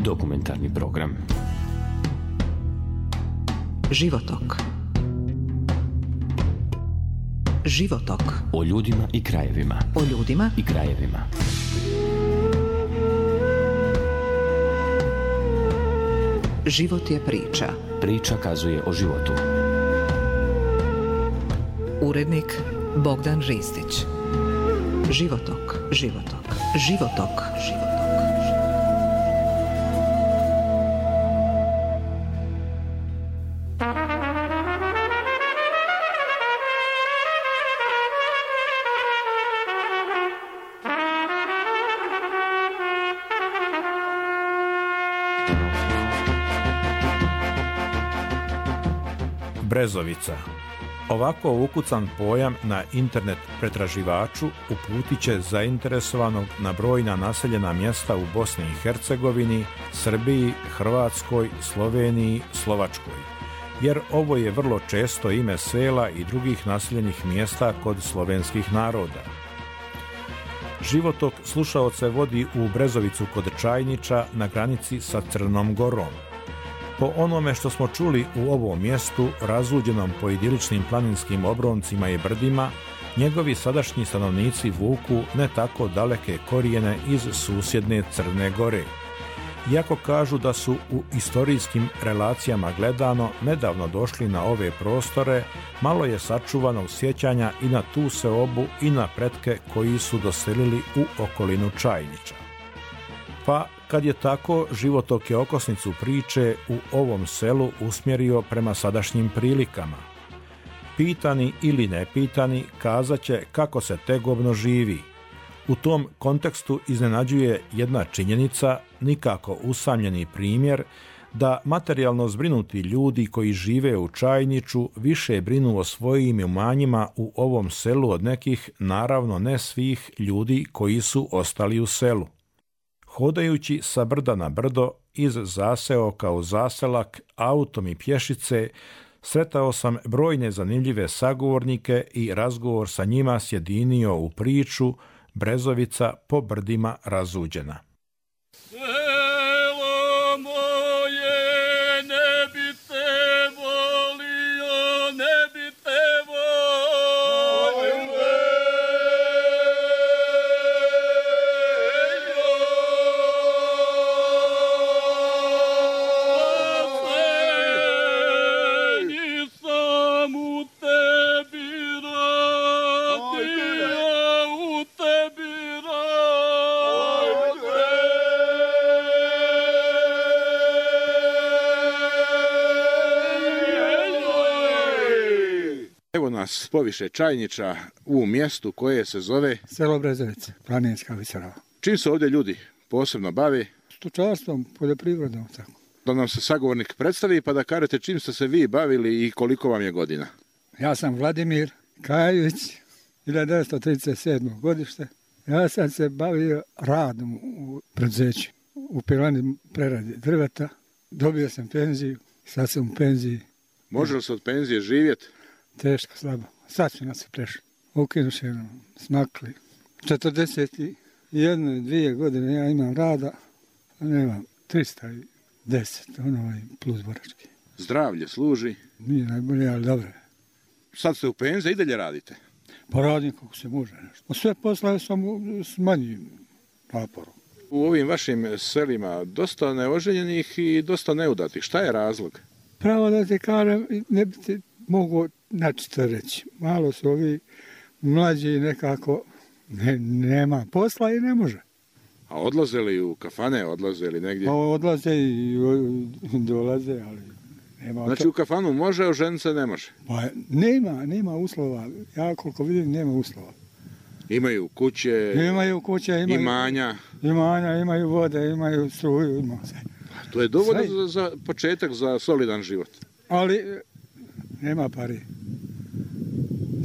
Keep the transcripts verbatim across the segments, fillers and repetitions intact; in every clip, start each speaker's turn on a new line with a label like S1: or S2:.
S1: Dokumentarni program.
S2: Životok. Životok.
S1: O ljudima i krajevima.
S2: O ljudima
S1: i krajevima.
S2: Život je priča.
S1: Priča kazuje o životu.
S2: Urednik Bogdan Ristić. Životok, životok, životok, životok.
S3: Brezovica. Ovako ukucan pojam na internet pretraživaču uputit će zainteresovanog na brojna naseljena mjesta u Bosni i Hercegovini, Srbiji, Hrvatskoj, Sloveniji, Slovačkoj. Jer ovo je vrlo često ime sela i drugih naseljenih mjesta kod slovenskih naroda. Životok slušaoce vodi u Brezovicu kod Čajniča na granici sa Crnom Gorom. Po onome što smo čuli u ovom mjestu, razuđenom po idiličnim planinskim obroncima i brdima, njegovi sadašnji stanovnici vuku ne tako daleke korijene iz susjedne Crne Gore. Iako kažu da su u istorijskim relacijama gledano nedavno došli na ove prostore, malo je sačuvanog sjećanja i na tu seobu i na pretke koji su doselili u okolinu Čajniča. Pa, kad je tako, Životok je okosnicu priče u ovom selu usmjerio prema sadašnjim prilikama. Pitani ili nepitani kazat će kako se tegobno živi. U tom kontekstu iznenađuje jedna činjenica, nikako usamljeni primjer, da materijalno zbrinuti ljudi koji žive u Čajniču više brinu o svojim imanjima u ovom selu od nekih, naravno ne svih, ljudi koji su ostali u selu. Hodajući sa brda na brdo, iz zaseoka u zaselak, autom i pješice, sretao sam brojne zanimljive sagovornike i razgovor sa njima sjedinio u priču Brezovica po brdima razuđena.
S4: Nas poviše Čajniča u mjestu koje se zove
S5: selo Brezovica, planinska visoravna.
S4: Čim se ovdje ljudi posebno bave?
S5: Stočarstvom, poljoprivredom, tako.
S4: Da nam se sagovornik predstavi pa da kažete čim ste se vi bavili i koliko vam je godina.
S5: Ja sam Vladimir Kajović, hiljadu devetsto trideset sedmo godište. Ja sam se bavio radom u preduzeću, u pilani preradi drveta. Dobio sam penziju, sad sam u penziji.
S4: Može li se od penzije živjeti?
S5: Teško, slabo. Sad su nas prešli. Ukinuše nam, smakli. četrdeset jedne, dvije godine ja imam rada, a nemam tristo deset, ono plus borački.
S4: Zdravlje služi?
S5: Nije najbolje, ali dobro.
S4: Sad ste u penziji i dalje radite?
S5: Pa radim kako se može nešto. Sve poslove sam s manjim naporom.
S4: U ovim vašim selima dosta neoženjenih i dosta neudatih. Šta je razlog?
S5: Pravo da ti kažem, ne bi ti mogu načito reći. Malo su ovi mlađi nekako, ne, nema posla i ne može.
S4: A odlaze li u kafane, odlaze li negdje?
S5: Pa odlaze i dolaze, ali nema.
S4: Znači
S5: to...
S4: u kafanu može, a ženit se ne može?
S5: Pa nema, nema uslova. Ja koliko vidim, nema uslova.
S4: Imaju kuće,
S5: imaju kuće, imaju
S4: imanja.
S5: Imanja, imaju vode, imaju struju, ima sve.
S4: Pa to je dovoljno za, za početak, za solidan život.
S5: Ali nema pari.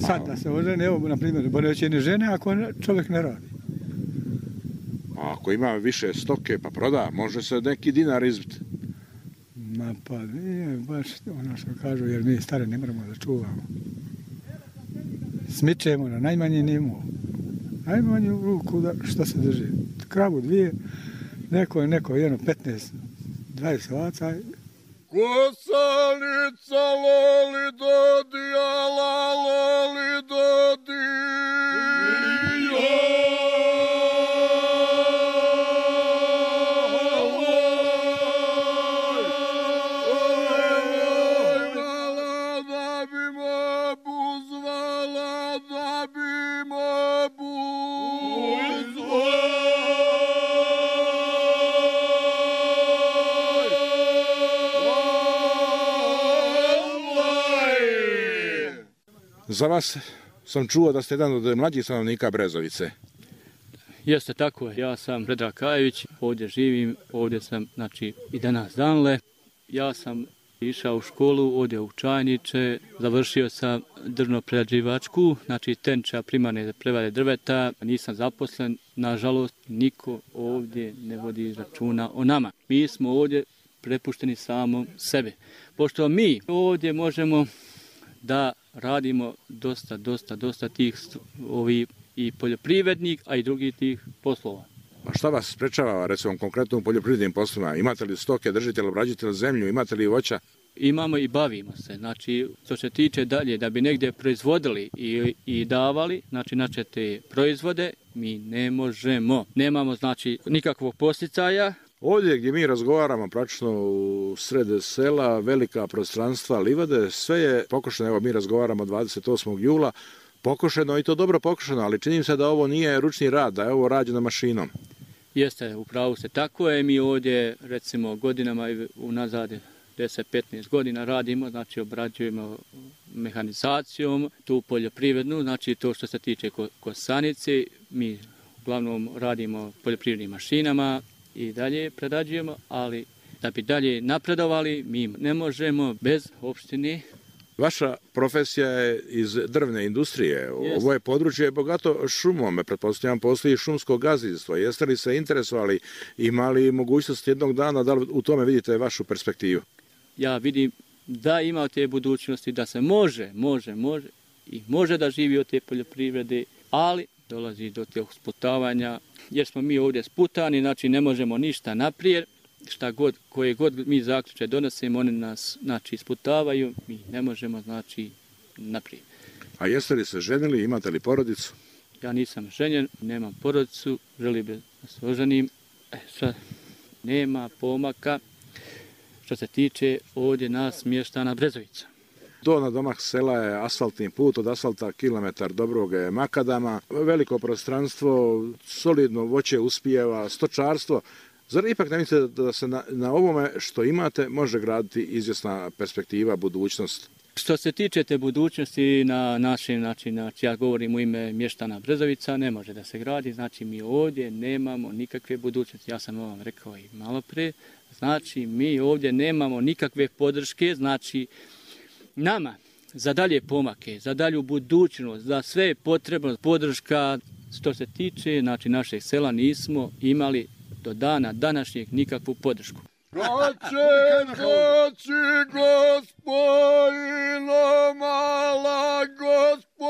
S5: Sad da se ožene, evo, na primjer, bolje će ni žene ako čovjek ne radi.
S4: A ako ima više stoke pa proda, može se neki dinar izbiti.
S5: Ma pa nije baš ono što kažu, jer mi stare ne moramo da čuvamo. Smičemo na najmanji nivo. Najmanju ruku da, što se drži. Kravu dvije, neko je neko jedno petnaest dvadeset ovaca.
S4: Kosanica loli dodija, la loli Za vas sam čuo da ste jedan od mlađih stanovnika Brezovice.
S6: Jeste, tako je. Ja sam Predrag Kajević, ovdje živim, ovdje sam, znači, i danas danle. Ja sam išao u školu, ovdje u Čajniče, završio sam drvno-prerađivačku, znači tenča primarne prerade drveta, nisam zaposlen, nažalost, niko ovdje ne vodi računa o nama. Mi smo ovdje prepušteni samom sebe. Pošto mi ovdje možemo da radimo dosta, dosta, dosta tih ovi i poljoprivrednik, a i drugih tih poslova.
S4: A šta vas sprečava, recimo, konkretno u poljoprivrednim poslovima? Imate li stoke, držite li, obrađujete li zemlju, imate li voća?
S6: Imamo i bavimo se. Znači, što se tiče dalje, da bi negdje proizvodili i, i davali, znači, znači te proizvode, mi ne možemo. Nemamo, znači, nikakvog posticaja.
S4: Ovdje gdje mi razgovaramo, praktično u sred sela, velika prostranstva livade, sve je pokošeno. Evo, mi razgovaramo dvadeset osmog jula, pokošeno i to dobro pokošeno, ali čini se da ovo nije ručni rad, da je ovo rađeno mašinom.
S6: Jeste, upravo se tako je. Mi ovdje, recimo, godinama unazad deset do petnaest godina radimo, znači obrađujemo mehanizacijom, tu poljoprivrednu, znači to što se tiče kosanice, mi uglavnom radimo poljoprivrednim mašinama i dalje prerađujemo, ali da bi dalje napredovali, mi ne možemo bez opštine.
S4: Vaša profesija je iz drvne industrije. Ovo je područje bogato šumom. Pretpostavljam, postoji šumsko gazdinstvo. Jeste li se interesovali, imali mogućnost jednog dana, da li u tome vidite vašu perspektivu?
S6: Ja vidim da ima te budućnosti, da se može, može, može i može da živi od te poljoprivrede, ali dolazi do tih sputavanja, jer smo mi ovdje sputani, znači ne možemo ništa naprijed. Šta god, koje god mi zaključke donosimo, oni nas, znači, sputavaju, mi ne možemo, znači, naprijed.
S4: A jeste li se ženili, imate li porodicu?
S6: Ja nisam ženjen, nemam porodicu, želim da se oženim. E, šta, nema pomaka što se tiče ovdje nas mještana Brezovica.
S4: Do na domak sela je asfaltni put, od asfalta kilometar dobrog je makadama, veliko prostranstvo, solidno voće uspijeva, stočarstvo. Zar ipak ne mislite da se na, na ovome što imate može graditi izvjesna perspektiva, budućnost?
S6: Što se tiče te budućnosti na našem način, znači ja govorim u ime mještana Brezovica, ne može da se gradi, znači mi ovdje nemamo nikakve budućnosti. Ja sam vam rekao i malo pre, znači mi ovdje nemamo nikakve podrške, znači nama za dalje pomake, za dalju budućnost, za sve je potrebno podrška. Što se tiče, znači, našeg sela nismo imali do dana današnjeg nikakvu podršku.
S4: Kaće, kaći, gospojino, mala gospojino.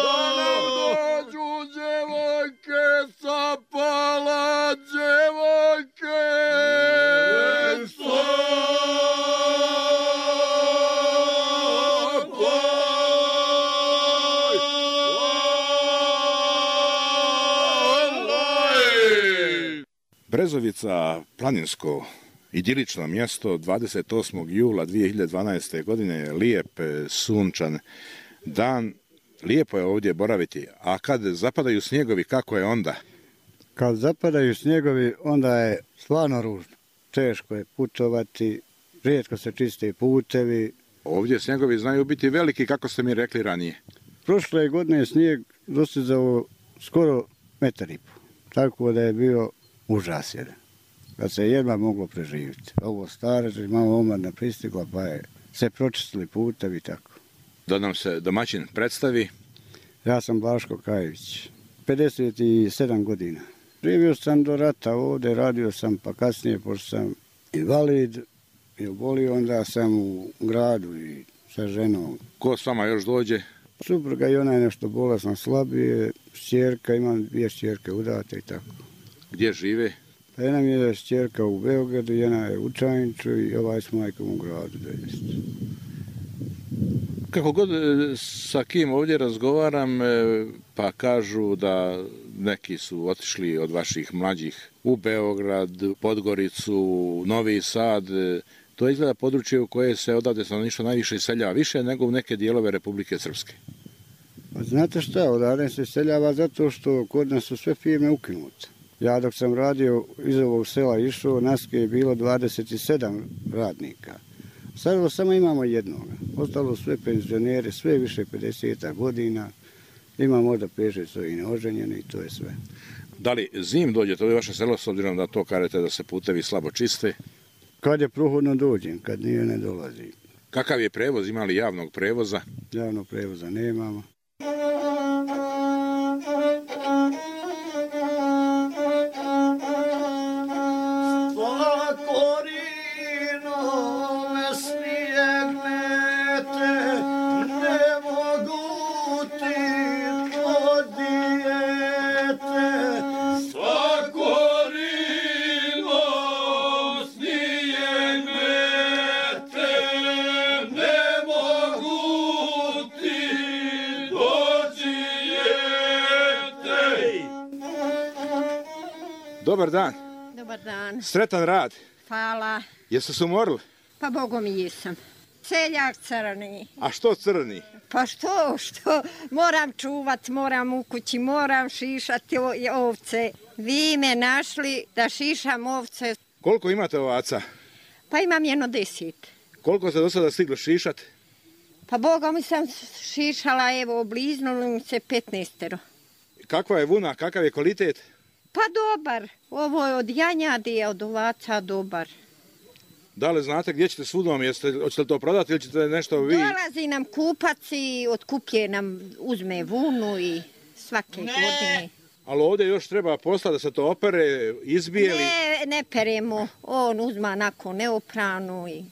S4: Da nam dođu djevojke, sapala djevojke. Brezovica, planinsko, idilično mjesto, dvadeset osmog jula dvije hiljade dvanaeste. godine je lijep, sunčan dan. Lijepo je ovdje boraviti, a kad zapadaju snjegovi, kako je onda?
S7: Kad zapadaju snjegovi, onda je stvarno ružno. Teško je putovati, rijetko se čiste putevi.
S4: Ovdje snjegovi znaju biti veliki, kako ste mi rekli ranije.
S7: Prošle godine je snijeg dostizao skoro metar i po, tako da je bio užas jedan, kad se jedva moglo preživjeti. Ovo stare, malo omladna pristigla, pa je se pročistili putevi i tako.
S4: Da nam se domaćin predstavi.
S7: Ja sam Blaško Kajević, pedeset sedam godina. Živio sam do rata ovdje, radio sam, pa kasnije, pošto sam invalid, je obolio, onda sam u gradu i sa ženom.
S4: Ko s vama još dođe?
S7: Supruga i ona je nešto bolesna, slabije, šćerka, imam dvije šćerke udate i tako.
S4: Gdje žive?
S7: Pa jedna mi je šćerka u Beogradu, jedna je u Čajniču i ovaj s majkom u gradu.
S4: Kako god sa kim ovdje razgovaram, pa kažu da neki su otišli od vaših mlađih u Beograd, Podgoricu, Novi Sad. To je izgleda područje u koje se odavde stanovništvo najviše iseljava, više nego u neke dijelove Republike Srpske.
S7: Pa znate šta, odavde se iseljava zato što kod nas su sve firme ukinute. Ja dok sam radio iz ovog sela išao, nas je bilo dvadeset sedam radnika. Sad samo imamo jednoga. Ostalo sve penzionere, sve više pedeset godina. Ima možda pet šest i neoženjeni i to je sve.
S4: Da li zim dođete u vaše selo s obzirom da to kažete da se putevi slabo čiste?
S7: Kad je prohodno dođem, kad nije ne dolazim.
S4: Kakav je prevoz? Ima li javnog prevoza?
S7: Javnog prevoza nemamo.
S4: Dobar dan.
S8: Dobar dan.
S4: Sretan rad.
S8: Hvala.
S4: Jeste se umorili?
S8: Pa Bogom i jesam. Seljak crni.
S4: A što crni?
S8: Pa što, što? Moram čuvat, moram u kući, moram šišati ovce. Vi me našli da šišam ovce.
S4: Koliko imate ovaca?
S8: Pa imam jedno deset.
S4: Koliko ste do sada stigli šišati?
S8: Pa Bogom sam šišala, evo, bliznuli mi se petnaestero.
S4: Kakva je vuna, kakav je kvalitet?
S8: Pa dobar. Ovo je od janjadi, od ovaca dobar.
S4: Da li znate gdje ćete s vunom? Jeste, hoćete li to prodati ili ćete nešto vi?
S8: Dolazi nam kupac i otkuplje nam, uzme vunu i svake ne. godine.
S4: Ali ovdje još treba posla da se to opere, izbijeli?
S8: Ne, ne peremo. On uzma nakon neopranu. I...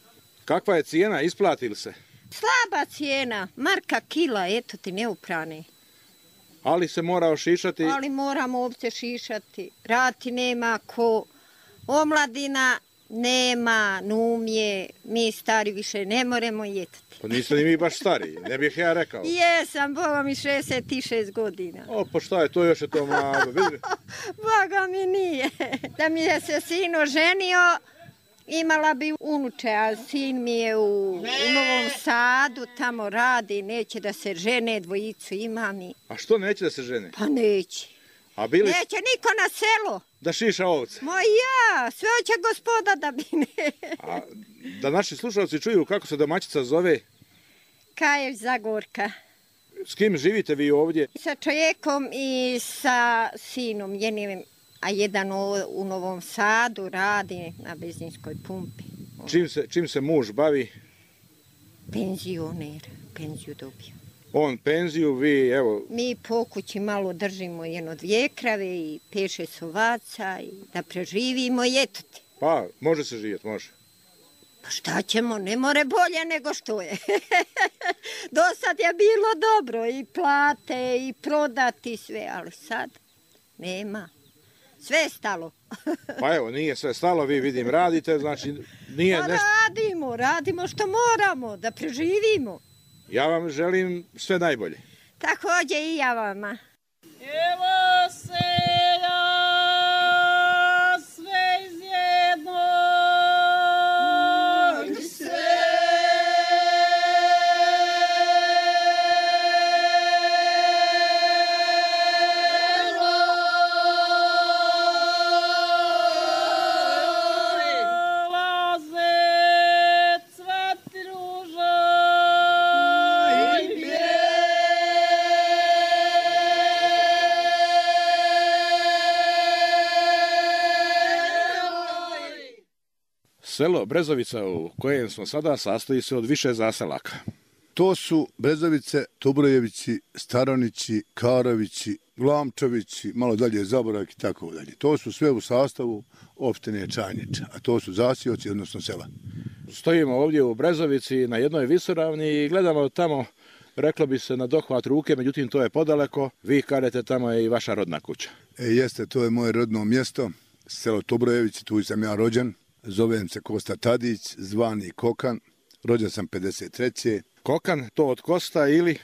S4: Kakva je cijena? Isplati li se?
S8: Slaba cijena. Marka kila, eto ti neoprane.
S4: Ali se mora ošišati?
S8: Ali moramo ovce šišati. Rati nema ko. Omladina nema, numje. Mi stari više ne moremo jetati.
S4: Pa niste ni mi baš stari, ne bih ja rekao.
S8: Jesam, Boga mi šezdeset šest godina.
S4: O, pa šta je to, još je to mlado.
S8: Boga mi nije. Da mi je se sin oženio, imala bi unuče, a sin mi je u, u Novom Sadu, tamo radi, neće da se žene, dvojicu ima mi.
S4: A što neće da se žene?
S8: Pa neće.
S4: A bili...
S8: Neće niko na selo.
S4: Da šiša ovce?
S8: Ma ja, sve hoće gospoda da bine.
S4: A da naši slušalci čuju kako se domaćica zove?
S8: Kaješ Zagorka.
S4: S kim živite vi ovdje?
S8: Sa čovjekom i sa sinom jednim. A jedan u Novom Sadu radi na benzinskoj pumpi.
S4: Čim se, čim se muž bavi?
S8: Penzioner, penziju dobio.
S4: On penziju, vi evo...
S8: Mi po kući malo držimo jedno dvije krave i peše sovaca i da preživimo i eto ti.
S4: Pa, može se živjeti, može.
S8: Pa šta ćemo, ne more bolje nego što je. Do sad je bilo dobro i plate i prodati sve, ali sad nema. Sve je stalo.
S4: Pa evo, nije sve stalo, vi vidim radite, znači nije
S8: pa
S4: nešto...
S8: radimo, radimo što moramo, da preživimo.
S4: Ja vam želim sve najbolje.
S8: Također i ja vama.
S9: Evo selja, sve iz jednog sela.
S4: Selo Brezovica u kojem smo sada sastoji se od više zaselaka.
S10: To su Brezovice, Tubrojevići, Staronići, Karovići, Glamčević, malo dalje Zaborak i tako dalje. To su sve u sastavu opštine Čajniča, a to su zasioci, odnosno sela.
S4: Stojimo ovdje u Brezovici na jednoj visoravni i gledamo tamo, reklo bi se na dohvat ruke, međutim to je podaleko. Vi kažete tamo je i vaša rodna kuća.
S10: E, jeste, to je moje rodno mjesto, selo Tobrojević, tu sam ja rođen. Zovem se Kosta Tadić, zvani Kokan, rođen sam pedeset treće
S4: Kokan, to od Kosta ili?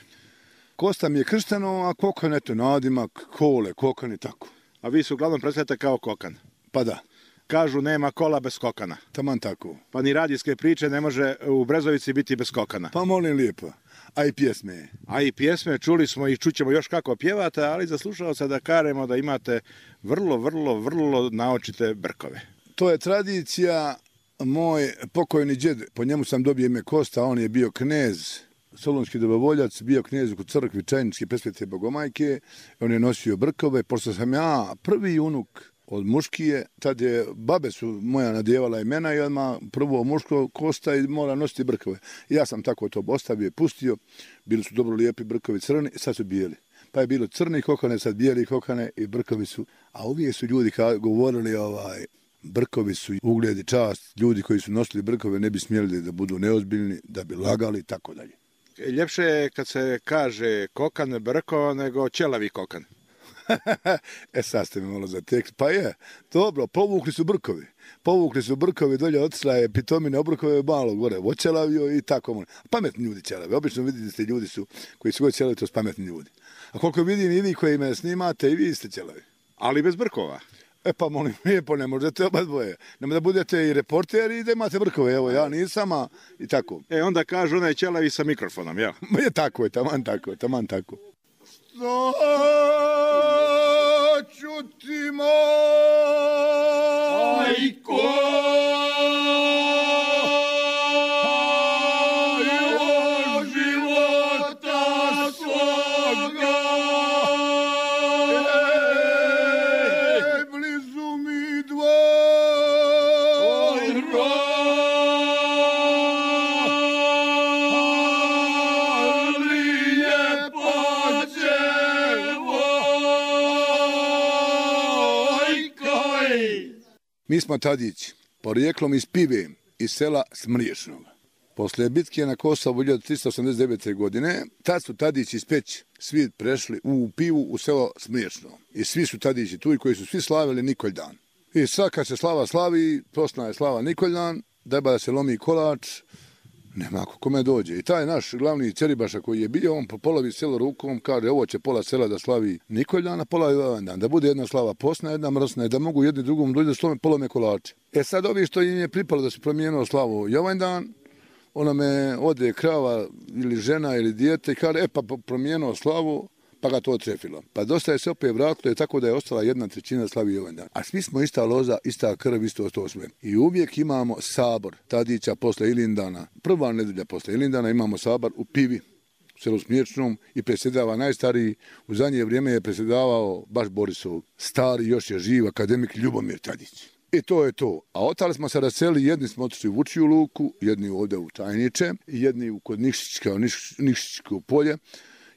S10: Kosta mi je kršteno, a Kokan eto nadimak, Kole, Kokan i tako.
S4: A vi se uglavnom predstavljate kao Kokan?
S10: Pa da.
S4: Kažu nema kola bez kokana.
S10: Taman tako.
S4: Pa ni radijske priče ne može u Brezovici biti bez kokana.
S10: Pa molim lijepo. A i pjesme.
S4: A i pjesme, čuli smo i čućemo još kako pjevate, ali za slušalca da kažemo da imate vrlo, vrlo, vrlo naočite brkove.
S10: To je tradicija, moj pokojni džed, po njemu sam dobio ime Kosta, on je bio knez, solunski dobrovoljac, bio knez u crkvi Čajničke Presvete Bogomajke, on je nosio brkove, pošto sam ja prvi unuk od muškije, tad je, babe su moja nadjevala imena i odmah prvo muško Kosta i mora nositi brkove. Ja sam tako to ostavio i pustio, bili su dobro lijepi brkovi crni, sad su bijeli. Pa je bilo crni kokane, sad bijeli kokane i brkovi su, a uvijek su ljudi govorili ovaj, brkovi su ugled i čast, ljudi koji su nosili brkove ne bi smjeli da budu neozbiljni, da bi lagali i tako dalje.
S4: Ljepše je kad se kaže kokan brko nego ćelavi kokan.
S10: E sad ste mi malo za tekst. Pa je, dobro, povukli su brkovi. Povukli su brkovi, dolje otišla je pitomine obrkove malo gore, očelavio i tako. Pametni ljudi ćelavi. Obično vidite ste ljudi su, koji su god ćelavi, to su pametni ljudi. A koliko vidim i vi koji me snimate, i vi ste ćelavi.
S4: Ali bez brkova.
S10: E pa molim, lijepo, ne možete oba dvoje. Nema da budete i reporteri i da imate brkove. Evo, ja nisam, a i tako.
S4: E, onda kažu onaj ćelavi sa mikrofonom, jel?
S10: Je tako je, taman tako, taman tako. Što ću ti majko života svoga, blizu mi dvoj roli pođe. Mi smo Tadići, porijeklom iz Pive, iz sela Smriješnog. Posle bitke na Kosovu hiljadu tristo osamdeset devete. godine, tad su Tadići iz Peći svi prešli u Pivu u selo Smriješno. I svi su Tadići tu i koji su svi slavili Nikoldan. I sad kad se slava slavi, prosna je slava Nikoldan, deba da se lomi kolač, nema ako kome dođe. I taj naš glavni Ceribaša koji je bio, on po polovi selo rukom, kaže ovo će pola sela da slavi Nikoldan, a pola Jovandan. Da bude jedna slava posna, jedna mrsna, da mogu jedni drugom dođe da slome polome kolače. E sad ovi što im je pripalo da su promijenilo slavu Jovandan, ona me ode krava ili žena ili dijete i kaže, e pa promijenilo slavu, pa ga to trefilo. Pa dosta je se opet vratilo, je tako da je ostala jedna trećina slavi Jovandan. A svi smo ista loza, ista krv, isto to sve. I uvijek imamo sabor Tadića posle Ilindana. Prva nedelja posle Ilindana imamo sabor u Pivi, u selu Smiječnom i predsjedava najstariji. U zadnje vrijeme je predsjedavao baš Borisov stari, još je živ akademik Ljubomir Tadić. I to je to. A ostali smo se raseli, jedni smo otišli u Vučiju luku, jedni ovdje u Čajniče, jedni kod Nikšićka, Nikšićko polje,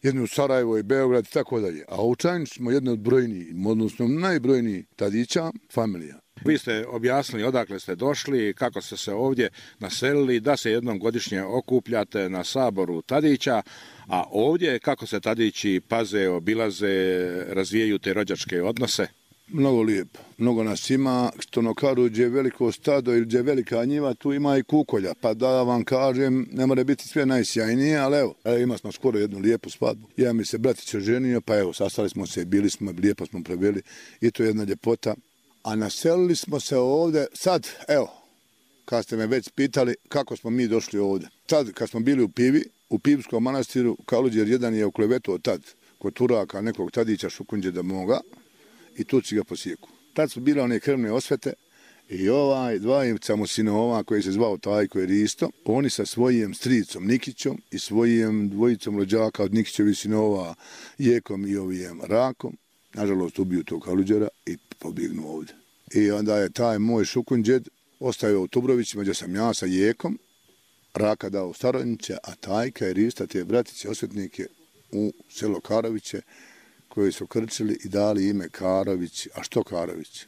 S10: jedni u Sarajevo i Beograd i tako dalje. A u Čajnici smo jedni od brojnijih, odnosno najbrojnijih Tadića, familija.
S4: Vi ste objasnili odakle ste došli, kako ste se ovdje naselili, da se jednom godišnje okupljate na saboru Tadića, a ovdje kako se Tadići paze, obilaze, razvijaju te rođačke odnose?
S10: Mnogo lijepo. Mnogo nas ima, što no kažu, gdje je veliko stado ili gdje je velika njiva, tu ima i kukolja. Pa da vam kažem, ne mora biti sve najsjajnije, ali evo, evo ima smo skoro jednu lijepu svadbu. Ja mi se bratić oženio, pa evo, sastali smo se, bili smo, lijepo smo proveli i to je jedna ljepota. A naselili smo se ovdje, sad, evo, kad ste me već pitali kako smo mi došli ovdje. Tad, kad smo bili u Pivi, u Pivskom manastiru, Kaluđer jedan je uklevetao tad kod Turaka nekog Tadića Šukunđeda moga, i Turci ga posjeku. Tad su bile one krvne osvete i ovaj dvajimca mu sinova koji se zvao Tajko i Risto, oni sa svojim stricom Nikićom i svojim dvojicom rođaka od Nikićevi sinova Jekom i ovijem Rakom, nažalost ubiju tog Kaluđera i pobjegnu ovdje. I onda je taj moj Šukunđed ostavio u Tubrovićima gdje sam ja sa Jekom, Raka dao u Staronjiće, a Tajka i Rista, te bratice osvetnike u selo Karoviće, koji su krčili i dali ime Karović. A što Karović?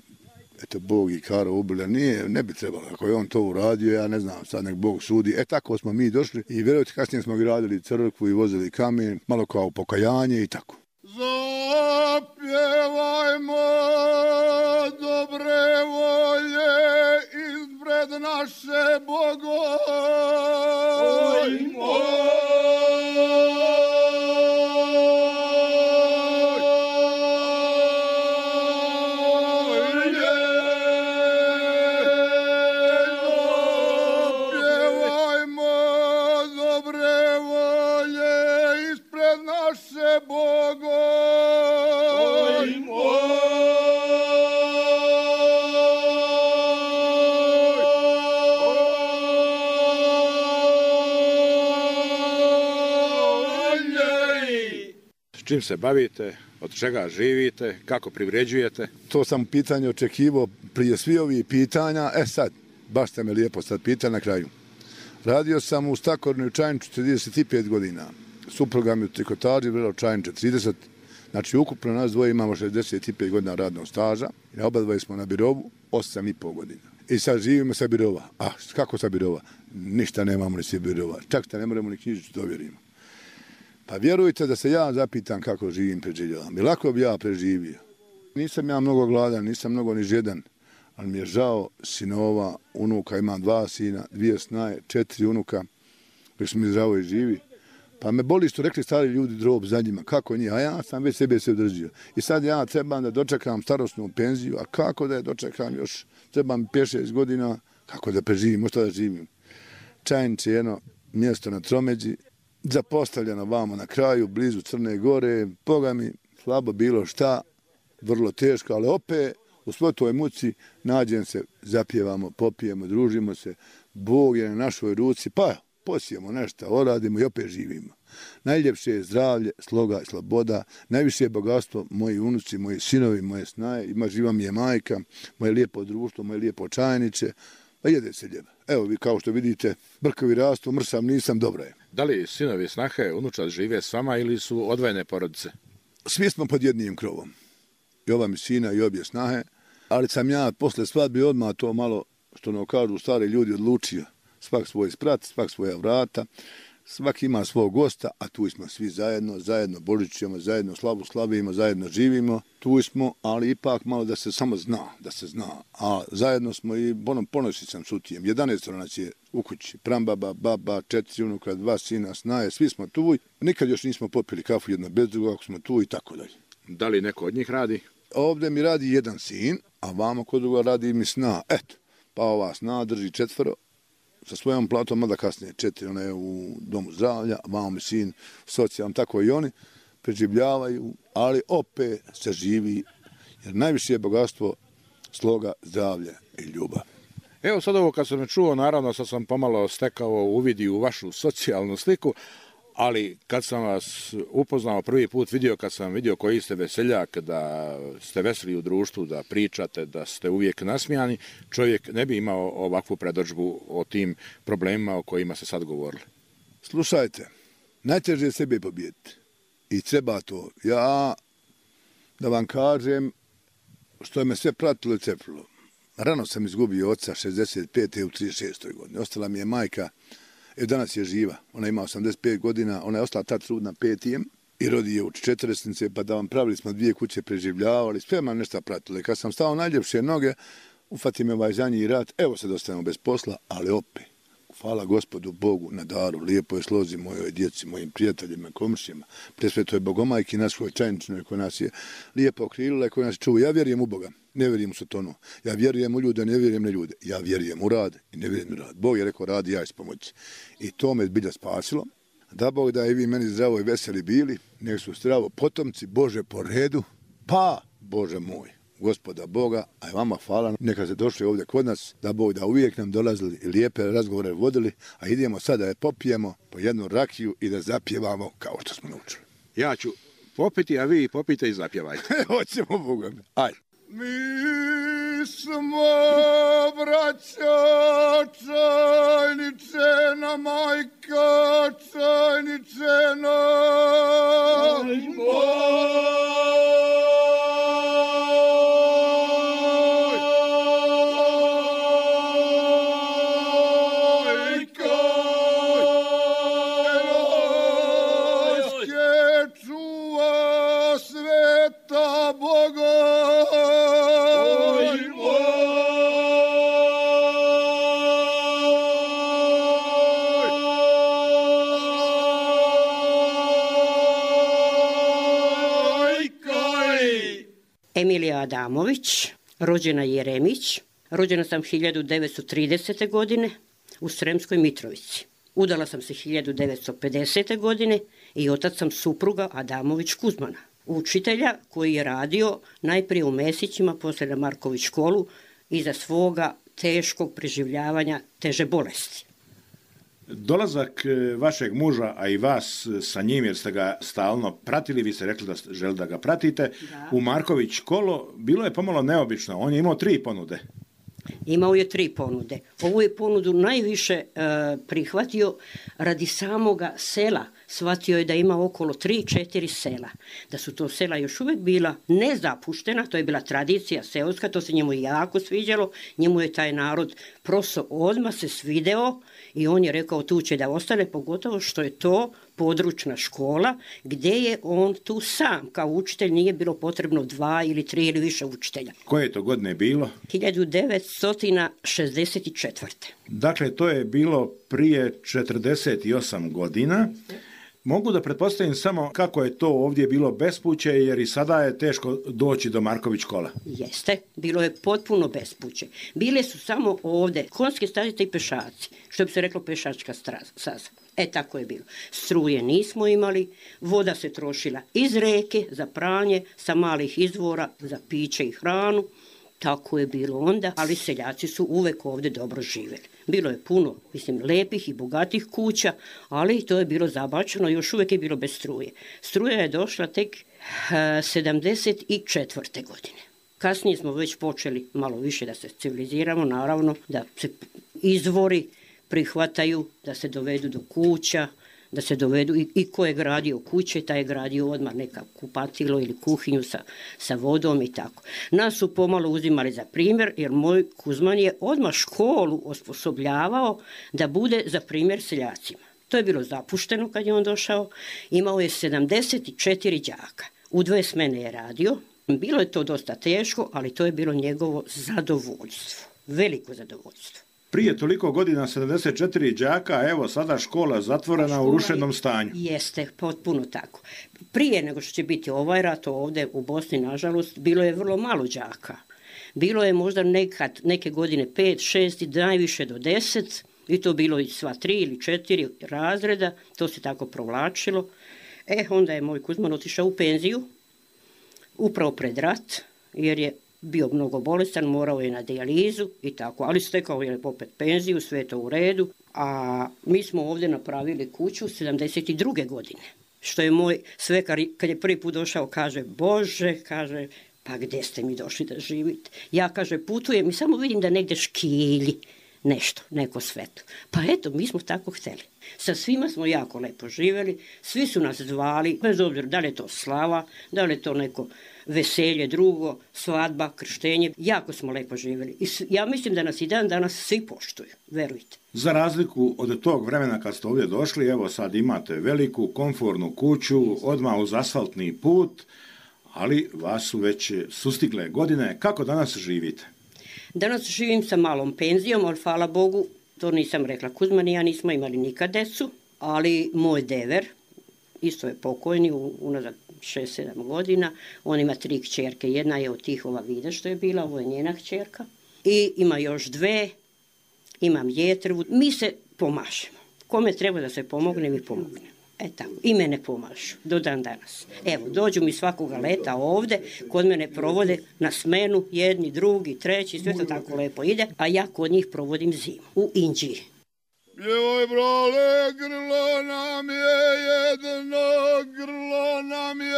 S10: Eto, Bog i Karo ubili, nije, ne bi trebalo. Ako je on to uradio, ja ne znam, sad nek Bog sudi. E, tako smo mi došli i vjerujte, kasnije smo gradili crkvu i vozili kamen, malo kao pokajanje i tako.
S9: Zapjevajmo dobre volje ispred naše bogove.
S4: Čim se bavite, od čega živite, kako privređujete?
S10: To sam pitanje očekivao prije svi ovih pitanja. E sad, baš ste me lijepo sad pitali na kraju. Radio sam u Stakornoj Čajniču trideset pet godina. Supruga mi u trikotaži, vrlo Čajniče trideset. Znači, ukupno nas dvoje imamo šezdeset pet godina radnog staža. I oba dvoje smo na birovu osam i pol godina. I sad živimo sa birova. A kako sa birova? Ništa nemamo ni sa birova. Čak što ne moramo ni knjižicu dovjerimo. Pa vjerujte da se ja zapitam kako živim, preživljavam. I lako bi ja preživio. Nisam ja mnogo gladan, nisam mnogo ni žedan, ali mi je žao sinova, unuka, imam dva sina, dvije snaje, četiri unuka, koji su mi zdravo i živi. Pa me boli što rekli stari ljudi drob za njima, kako njih, a ja sam već sebe se održio. I sad ja trebam da dočekam starosnu penziju, a kako da je dočekam još, trebam pet šest godina, kako da preživim, možda da živim. Čajniče je jedno mjesto na Tromeđi, zapostavljeno vamo na kraju, blizu Crne Gore, Boga mi, slabo bilo šta, vrlo teško, ali opet u svoj toj muci nađem se, zapjevamo, popijemo, družimo se, Bog je na našoj ruci, pa posijemo nešto, oradimo i opet živimo. Najljepše je zdravlje, sloga i sloboda, najviše je bogatstvo moji unuci, moji sinovi, moje snaje, ima živa mi je majka, moje lijepo društvo, moje lijepo Čajniče, pa jede se ljeba. Evo vi kao što vidite, brkovi rastu, mrsam nisam, dobro je.
S4: Da li sinovi, snahe, unučad žive s vama ili su odvojene porodice?
S10: Svi smo pod jednim krovom. I ova mi sina i obje snahe, ali sam ja posle svadbe odmah to malo, što nam kažu stari ljudi, odlučio. Svak svoj sprat, svak svoja vrata, svak ima svog gosta, a tu smo svi zajedno, zajedno božićujemo, zajedno slavu slavimo, zajedno živimo. Tu smo, ali ipak malo da se samo zna, da se zna. A zajedno smo i bonom ponosi sam sutijem. jedanaest nas je u kući, prambaba, baba, četiri unuka, dva sina, snaje, svi smo tu. Nikad još nismo popili kafu jedno bez druga, ako smo tu i tako dalje.
S4: Da li neko od njih radi?
S10: Ovdje mi radi jedan sin, a vamo kod druga radi mi sna. Eto, pa ova sna drži četvoro, sa svojom platom, mada kasnije četiri, ona je u domu zdravlja, vamo mi sin socijalno, tako i oni preživljavaju, ali opet se živi, jer najviše je bogatstvo sloga, zdravlja i ljubav.
S4: Evo sad ovo kad sam me čuo, naravno sad sam pomalo stekao uvidi u vašu socijalnu sliku, ali kad sam vas upoznao prvi put, vidio kad sam vidio koji ste veseljak, da ste veseli u društvu, da pričate, da ste uvijek nasmijani, čovjek ne bi imao ovakvu predodžbu o tim problemima o kojima ste sad govorili.
S10: Slušajte, najteže je sebe pobijediti i treba to. Ja, da vam kažem, što je me sve pratilo i cepilo. Rano sam izgubio oca šezdeset pete u trideset šestoj godini. Ostala mi je majka. Evo danas je živa, ona ima osamdeset pet godina, ona je ostala tad trudna petijem i rodi je u četiričnice, pa da vam pravili smo dvije kuće, preživljavali, sve mam nešto pratilo. I kad sam stao najljepše noge, ufati me ovaj zadnji rat, evo se dostajemo bez posla, ali opet, hvala Gospodu Bogu na daru, lijepo je slozi mojoj djeci, mojim prijateljima, komšijama, pre sve to je Bogomajki našoj Čajničnoj koja nas je lijepo okrilila i koja nas čuva. Ja vjerujem u Boga. Ne vjerujem u Sotonu. Ja vjerujem u ljude, ne vjerujem na ljude. Ja vjerujem u rad i ne vjerujem u rad. Bog je rekao radi, ja ću pomoći. I to me zbilja spasilo. Da Bog da i vi meni zdravo i veseli bili, nek su zdravo potomci Bože po redu, pa Bože moj, Gospoda Boga, a i vama hvala, neka se došli ovdje kod nas, da Bog da uvijek nam dolazili i lijepe razgovore vodili, a idemo sada da popijemo po jednu rakiju i da zapjevamo kao što smo naučili.
S4: Ja ću popiti, a vi popite i zapjevajte.
S10: Hoćemo Boga. Ajde.
S9: Mi smo, braća, Čajničena, majka Čajničena.
S11: Emilija Adamović, rođena Jeremić, rođena sam hiljadu devetsto tridesete. godine u Sremskoj Mitrovici. Udala sam se hiljadu devetsto pedesete. godine i otac sam supruga Adamović Kuzmana, učitelja koji je radio najprije u Mesićima, poslije na Marković školu iza svoga teškog preživljavanja teže bolesti.
S3: Dolazak vašeg muža, a i vas sa njim, jer ste ga stalno pratili, vi ste rekli da želi da ga pratite, da. U Marković školu, bilo je pomalo neobično. On je imao tri ponude.
S11: Imao je tri ponude. Ovu je ponudu najviše e, prihvatio radi samoga sela. Shvatio je da ima okolo tri četiri sela. Da su to sela još uvijek bila nezapuštena, to je bila tradicija seoska, to se njemu jako sviđalo. Njemu je taj narod prosto odmah se svideo i on je rekao tu će da ostane, pogotovo što je to područna škola gdje je on tu sam. Kao učitelj nije bilo potrebno dva ili tri ili više učitelja.
S3: Koje je to godine bilo?
S11: hiljadu devetsto šezdeset četvrte.
S3: Dakle, to je bilo prije četrdeset osam godina. Mogu da pretpostavim samo kako je to ovdje bilo bespuće, jer i sada je teško doći do Marković škola.
S11: Jeste, bilo je potpuno bespuće. Bile su samo ovdje konjske stazice i pešaci, što bi se reklo pešačka staza. E, tako je bilo. Struje nismo imali, voda se trošila iz reke za pranje, sa malih izvora za piće i hranu. Tako je bilo onda, ali seljaci su uvek ovdje dobro živjeli. Bilo je puno, mislim, lepih i bogatih kuća, ali to je bilo zabačeno, još uvijek je bilo bez struje. Struja je došla tek sedamdeset četvrte. godine. Kasnije smo već počeli malo više da se civiliziramo, naravno, da se izvori prihvataju, da se dovedu do kuća, da se dovedu i, i ko je gradio kuće, taj je gradio odmah neka kupatilo ili kuhinju sa, sa vodom i tako. Nas su pomalo uzimali za primjer, jer moj Kuzman je odmah školu osposobljavao da bude za primjer seljacima. To je bilo zapušteno kad je on došao. Imao je sedamdeset četiri đaka. U dve smene je radio. Bilo je to dosta teško, ali to je bilo njegovo zadovoljstvo. Veliko zadovoljstvo.
S3: Prije toliko godina sedamdeset četiri đaka, evo sada škola zatvorena škola u rušenom stanju.
S11: Jeste, potpuno tako. Prije nego što će biti ovaj rat ovdje u Bosni, nažalost, bilo je vrlo malo đaka. Bilo je možda nekad, neke godine pet, šest i najviše do deset, i to bilo i sva tri ili četiri razreda, to se tako provlačilo. E, onda je moj Kuzman otišao u penziju, upravo pred rat, jer je bio mnogo bolestan, morao je na dijalizu i tako, ali stekao je opet penziju, sve je to u redu, a mi smo ovdje napravili kuću sedamdeset druge. godine, što je moj svekar, kad je prvi put došao, kaže, Bože, kaže, pa gdje ste mi došli da živite? Ja, kaže, putujem i samo vidim da negdje škilji nešto, neko svetlo. Pa eto, mi smo tako htjeli. Sa svima smo jako lepo živjeli, svi su nas zvali, bez obzira da li je to slava, da li je to neko veselje drugo, svadba, krštenje, jako smo lepo živjeli. I ja mislim da nas i dan danas svi poštuju, verujte.
S3: Za razliku od tog vremena kad ste ovdje došli, evo sad imate veliku, komfortnu kuću, odmah uz asfaltni put, ali vas su već sustigle godine. Kako danas živite?
S11: Danas živim sa malom penzijom, ali hvala Bogu, to nisam rekla, Kuzman i ja nismo imali nikad decu, ali moj dever, isto je pokojni, unazad šest sedam godina, on ima tri kćerke, jedna je od tih ova Vida što je bila, ovo je njena kćerka, i ima još dve, imam Jetru, mi se pomažemo. Kome treba da se pomogne, mi pomogne. E tako, i mene pomažu, do dan danas. Evo, dođu mi svakoga leta ovde, kod mene provode na smenu, jedni, drugi, treći, sve to tako lepo ide, a ja kod njih provodim zimu, u Inđiji.
S9: Joj, brale, grlo nam je jedno, grlo nam je.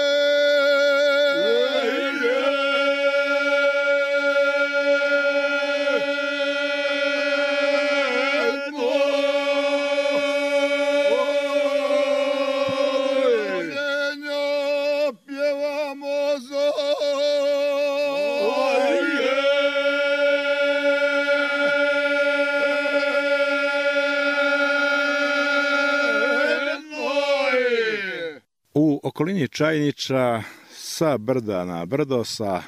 S4: okolini Čajniča, sa brda na brdo, sa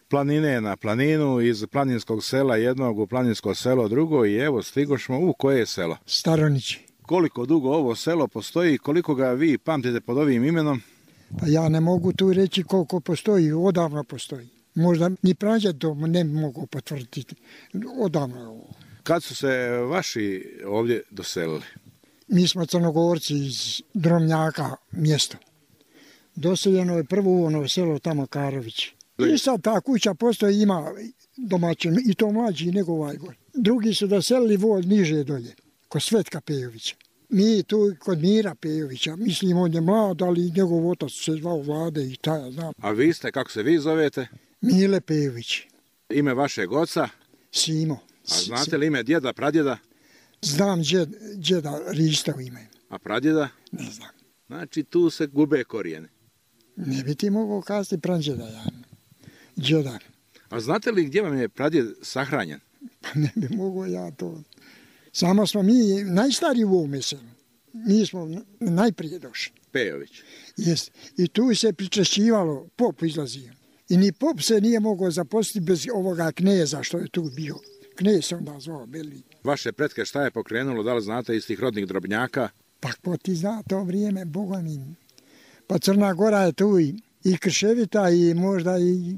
S4: planine na planinu, iz planinskog sela jednog u planinsko selo drugo i evo stigošmo u koje selo?
S12: Staronići.
S4: Koliko dugo ovo selo postoji i koliko ga vi pamtite pod ovim imenom?
S12: Pa ja ne mogu tu reći koliko postoji, odavno postoji. Možda ni prađe to ne mogu potvrditi, odavno je ovo.
S4: Kad su se vaši ovdje doselili?
S12: Mi smo Crnogorci iz Dromnjaka mjesto. Doseljeno je prvo ono selo tamo Karović. I sad ta kuća postoji, ima domaćin, i to mlađi nego ovaj gor. Drugi su doselili vod niže dolje, kod Svetka Pejovića. Mi tu kod Mira Pejovića, mislim on je mlad, ali njegov otac se zvao Vlade i taj ja znam.
S4: A vi ste, kako se vi zovete?
S12: Mile Pejović.
S4: Ime vašeg oca?
S12: Simo.
S4: A znate li ime djeda, pradjeda?
S12: Znam djed, djeda Rista u ime.
S4: A pradjeda?
S12: Ne znam.
S4: Znači tu se gube korijene.
S12: Ne bi ti mogao kazati pradjeda, ja. Djeda.
S4: A znate li gdje vam je pradjed sahranjen?
S12: Pa ne bi mogao ja to. Samo smo mi najstariji u ovome selu. Mi smo najprije došli.
S4: Pejović.
S12: Jest. I tu se pričešćivalo, pop izlazio. I ni pop se nije mogao zaposliti bez ovoga kneza što je tu bio. Knez se onda zvao Beli.
S4: Vaše pretke šta je pokrenulo, da li znate iz tih rodnih Drobnjaka?
S12: Pa ko ti zna to vrijeme, Boga mi. Pa Crna Gora je tu i, i Krševita i možda i,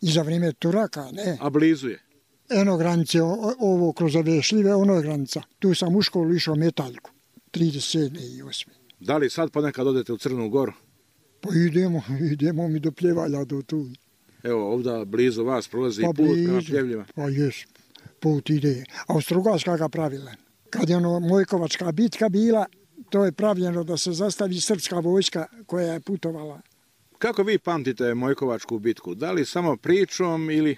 S12: i za vrijeme Turaka, ne.
S4: A blizu je?
S12: Eno granice, ovo kroz ove šljive, ono je granica. Tu sam u školu išao metaljku, trideset sedme i osme.
S4: Da li sad ponekad odete u Crnu Goru?
S12: Pa idemo, idemo mi do Pljevalja do tu.
S4: Evo ovdje blizu vas prolazi
S12: pa
S4: put
S12: blizu,
S4: prema Pljevljima.
S12: Pa jes, put ide. A Strugarska ga pravila. Kad je ono Mojkovačka bitka bila, to je pravljeno da se zastavi srpska vojska koja je putovala.
S4: Kako vi pamtite Mojkovačku bitku? Da li samo pričom ili...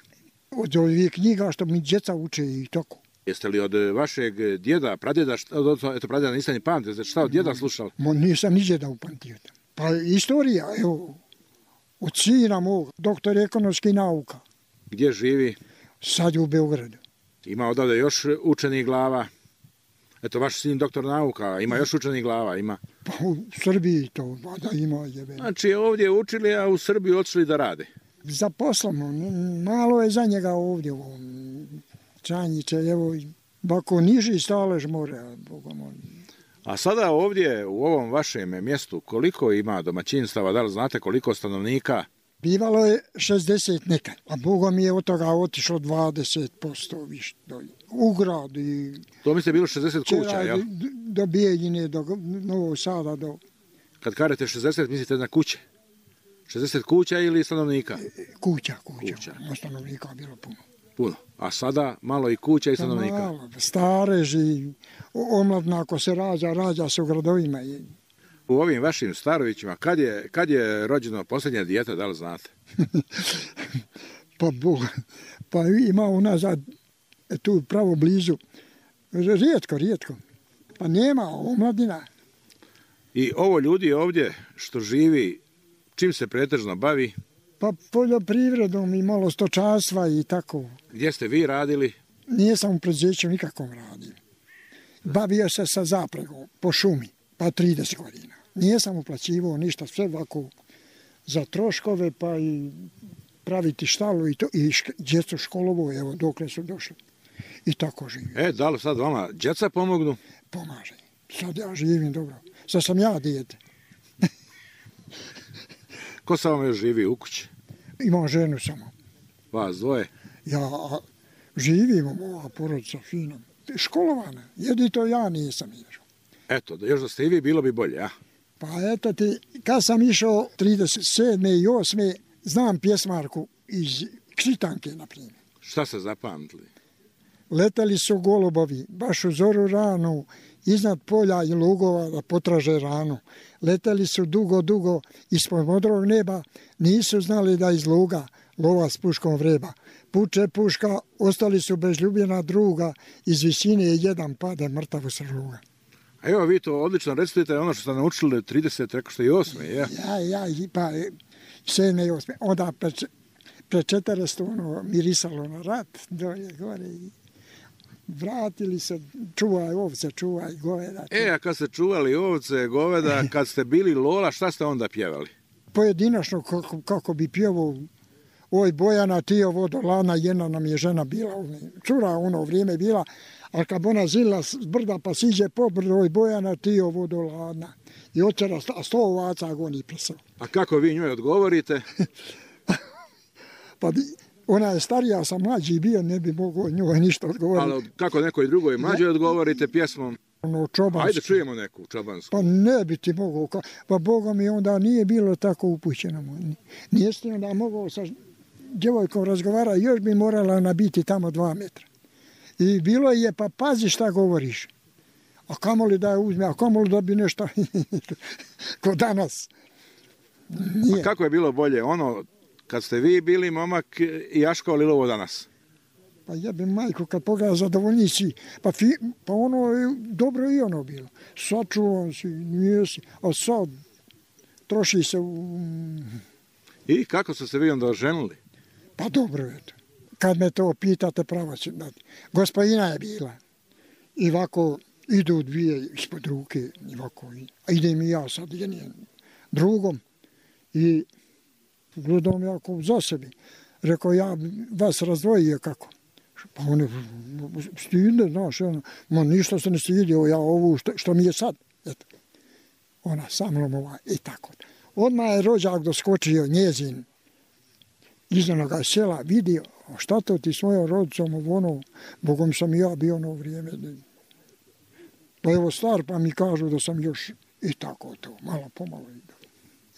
S12: Od ovih knjiga što mi djeca uče i tako.
S4: Jeste li od vašeg djeda, pradjeda, od, eto pradjeda niste ni pamtite, šta od djeda slušali?
S12: Mo, nisam ni djeda upamtio. Pa istorija, evo, od sina mog, doktor ekonomskih nauka.
S4: Gdje živi?
S12: Sad je u Beogradu.
S4: Ima odavde još učenih glava? Eto, vaš sin doktor nauka, ima još učenih glava, ima?
S12: Pa u Srbiji to, da ima jebe.
S4: Znači ovdje učili, a u Srbiju otišli da rade?
S12: Za poslom, malo je za njega ovdje, ovo, Čajniče, evo, bako niži stalež more, Boga moj.
S4: A sada ovdje, u ovom vašem mjestu, koliko ima domaćinstava, da li znate koliko stanovnika?
S12: Bivalo je šezdeset nekad, a Boga mi je od toga otišlo dvadeset posto više dolje. U grad i...
S4: To mi ste bilo šezdeset kuća, jel?
S12: Do Bijeljine, do Novog Sada, do...
S4: Kad kažete šezdeset, mislite na kuće? šezdeset kuća ili stanovnika?
S12: Kuća, kuća. kuća. Stanovnika je bilo puno.
S4: Puno. A sada malo i kuća i stanovnika?
S12: Malo, stareži, omladna ako se rađa, rađa se u gradovima.
S4: U ovim vašim Starovićima, kad je, kad je rođeno posljednje dijete, da li znate?
S12: pa Boga, pa ima unazad, tu pravo blizu, rijetko, rijetko. Pa nema omladina.
S4: I ovo ljudi ovdje što živi, čim se pretežno bavi?
S12: Pa poljoprivredom i malo stočarstva i tako.
S4: Gdje ste vi radili?
S12: Nijesam u preduzeću nikakvom radio. Bavio se sa zapregom po šumi, pa trideset godina. Nijesam uplaćivao ništa, sve ovako za troškove, pa i praviti štalu i to, i djecu školovo, evo, dokle su došli. I tako živim.
S4: E, da li sad vama djeca pomognu?
S12: Pomaže. Sad ja živim dobro. Sad sam ja dijete.
S4: Ko sa vam još živi u kući?
S12: Imam ženu samo.
S4: Vas dvoje?
S12: Ja živim, moja porodica fina. Školovana. Jedito ja nisam išao.
S4: Eto, još da ste i vi, bilo bi bolje, a?
S12: Pa eto ti, kad sam išao trideset sedme i osme znam pjesmarku iz Kšitanke, na primjer.
S4: Šta ste zapamtili?
S12: Letali su golubovi, baš u zoru ranu, iznad polja i lugova da potraže ranu. Letali su dugo, dugo ispod modrog neba, nisu znali da iz luga lova s puškom vreba. Puče puška, ostali su bez ljubljena druga, iz visine jedan pade mrtav u srluga.
S4: A evo vi to odlično recitujete ono što ste naučili trideset, reko ste i osme, ja?
S12: Ja, ja, pa sedme i osme. Onda pre četrdeset ono mirisalo na rat, dolje, gore i... vratili se, čuvaj ovce, čuvaj goveda.
S4: E, a kad ste čuvali ovce, goveda, kad ste bili Lola, šta ste onda pjevali?
S12: Pojedinačno, kako, kako bi pjevao, oj Bojana, ti je vodolana, jedna nam je žena bila, cura ono vrijeme bila, a kad ona zila s brda pa siđe po brdo, oj Bojana, ti je vodolana. I očera sto ovaca goni plesao.
S4: A kako vi njoj odgovorite?
S12: Pa bi, ona je starija, sam mlađi bio, ne bi mogao njoj ništa odgovoriti.
S4: Ali kako nekoj drugoj mlađoj odgovorite pjesmom?
S12: Ono, čobansku.
S4: Ajde čujemo neku čobansku.
S12: Pa ne bi ti mogao, pa Boga mi onda nije bilo tako upućeno. Nije ti onda mogao sa djevojkom razgovara, još bi morala nabiti tamo dva metra. I bilo je, pa pazi šta govoriš. A kamoli da je uzme, a kamoli da bi nešto ko danas.
S4: Nije. A kako je bilo bolje ono kad ste vi bili momak i Jaško ili ovo danas?
S12: Pa jebim majku kad pogleda zadovoljnici, pa, fi, pa ono je dobro i ono bilo. Sačuvan si, nije si, a sad troši se u...
S4: I kako ste se vi onda oženili?
S12: Pa dobro je to. Kad me to pitate, pravo ću dati. Gospodina je bila. I ovako idu dvije ispod ruke, i ovako. A idem i ja sad jednim drugom. I gledam jako za sebi. Rekao, ja vas razdvojio kako. Pa one stide, znaš, ono, ma ništa se ne stidio, ja ovu što, što mi je sad. Eto. Ona sa mnom ova i tako. Odmah je rođak doskočio njezin iz onoga sela, vidio, šta to ti svojom rodicom u ono, Bogom sam i ja bio ono vrijeme. Pa evo star, pa mi kažu da sam još i tako to, malo pomalo.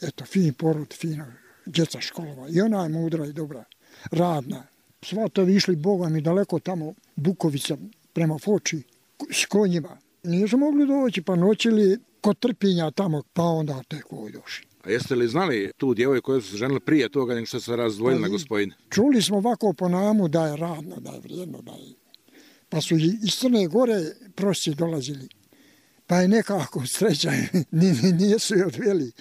S12: Eto, fin porod, fina djeca školova. I ona je mudra i dobra, radna. Svatovi išli, Boga mi, daleko tamo, Bukovica, prema Foči, s konjima. Nisu mogli doći, pa noćili kod Trpinja tamo, pa onda tek ovdje došli.
S4: A jeste li znali tu djevojku koju su se ženili prije toga nego što se razdvojili na gospodine?
S12: Čuli smo ovako po namu da je radno, da je vrijedno, da je... Pa su iz Crne Gore prosci dolazili. Pa je nekako sreća, nisu je odveli.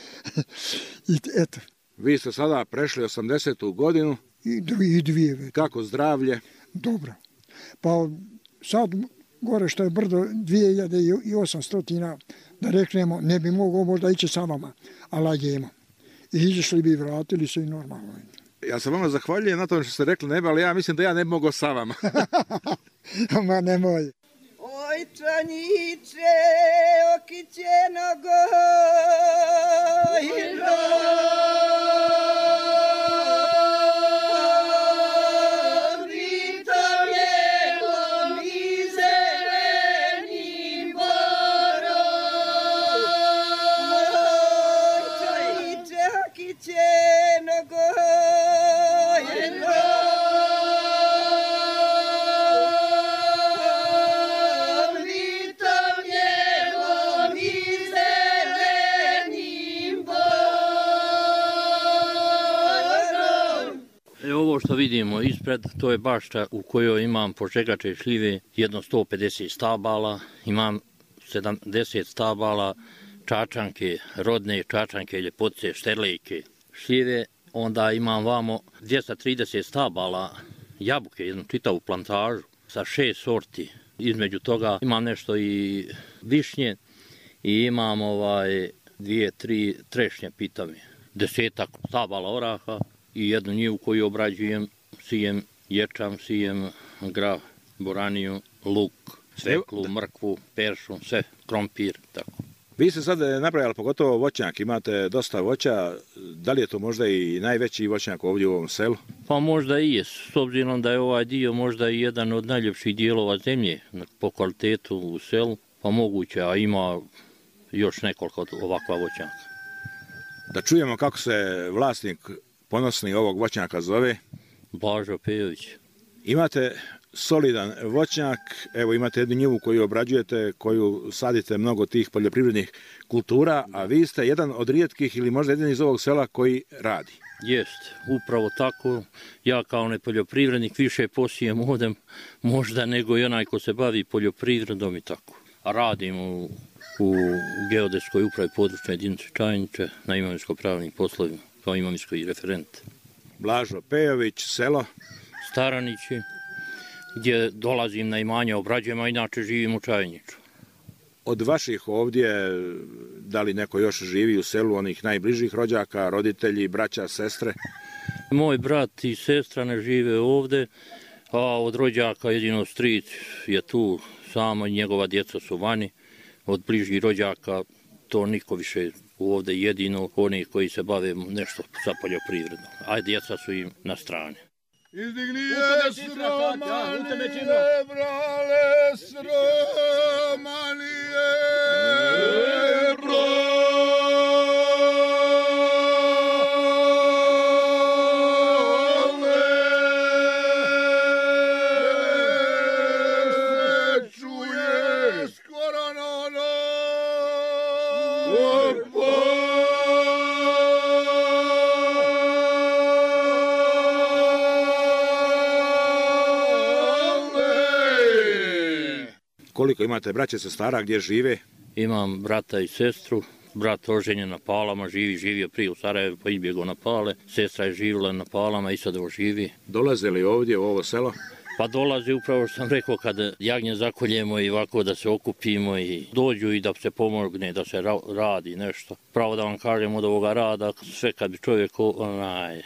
S12: I eto.
S4: Vi ste sada prešli osamdesetu godinu.
S12: I dvije, dvije već.
S4: Kako zdravlje?
S12: Dobro. Pa sad gore što je brdo dvije hiljade osamsto, da reknemo, ne bi mogao možda ići sa vama, ali jemo. I izišli bi, vratili se i normalno.
S4: Ja se vama zahvaljujem na tome što ste rekli nebe, ali ja mislim da ja ne bi mogao sa vama.
S12: Ma nemoj.
S13: Oj, čanjiče, okićeno gojno.
S14: Ovo što vidimo ispred, to je bašta u kojoj imam požegače i šljive, jedno sto pedeset stabala, imam sedamdeset stabala, čačanke, rodne čačanke, ljepotice, šterlejke, šljive, onda imam vamo dvjesto trideset stabala, jabuke, jednu čitavu plantažu sa šest sorti. Između toga imam nešto i višnje i imam ovaj dvije, tri trešnje pitave, desetak stabala oraha, i jednu njivu koju obrađujem, sijem ječam, sijem grah, boraniju, luk, sveklu, mrkvu, peršu, sve, krompir, tako.
S4: Vi ste sad napravili pogotovo voćnjak, imate dosta voća, da li je to možda i najveći voćnjak ovdje u ovom selu?
S14: Pa možda i je, s obzirom da je ovaj dio možda i jedan od najljepših dijelova zemlje po kvalitetu u selu, pa moguće, a ima još nekoliko ovakva voćnjaka.
S4: Da čujemo kako se vlasnik ponosni ovog voćnjaka zove?
S14: Blažo Pejović.
S4: Imate solidan voćnjak, evo imate jednu njivu koju obrađujete, koju sadite mnogo tih poljoprivrednih kultura, a vi ste jedan od rijetkih ili možda jedan iz ovog sela koji radi.
S14: Jest, upravo tako. Ja kao nepoljoprivrednik više posijem ovdje možda nego i onaj ko se bavi poljoprivredom i tako. A radim u, u geodetskoj upravi područne jedinice Čajniče na imovinsko-pravnim poslovima kao imovinski referent.
S4: Blažo Pejović, selo?
S14: Staranići. gdje dolazim na imanje, obrađujem, a inače živim u Čajniču.
S4: Od vaših ovdje, da li neko još živi u selu, onih najbližih rođaka, roditelji, braća, sestre?
S14: Moj brat i sestra ne žive ovde, a od rođaka jedino stric je tu, samo njegova djeca su vani. Od bližih rođaka to niko više ovde, jedino oni koji se bave nešto sa poljoprivredom, a djeca su im na strani.
S9: Izdigni je sromanije, brale, sromanije, brale. Se čuje skoro nono,
S4: Koliko imate braće, sestara, gdje žive?
S14: Imam brata i sestru. Brat oženjen na Palama, živi, živio prije u Sarajevu, pa izbjegao na Pale. Sestra je živjela na Palama i sad živi.
S4: Dolaze li ovdje u ovo selo?
S14: Pa dolazi upravo što sam rekao, kad jagnje zakoljemo i ovako da se okupimo i dođu i da se pomogne, da se ra radi nešto. Pravo da vam kažem, od ovoga rada, sve kad bi čovjek onaj,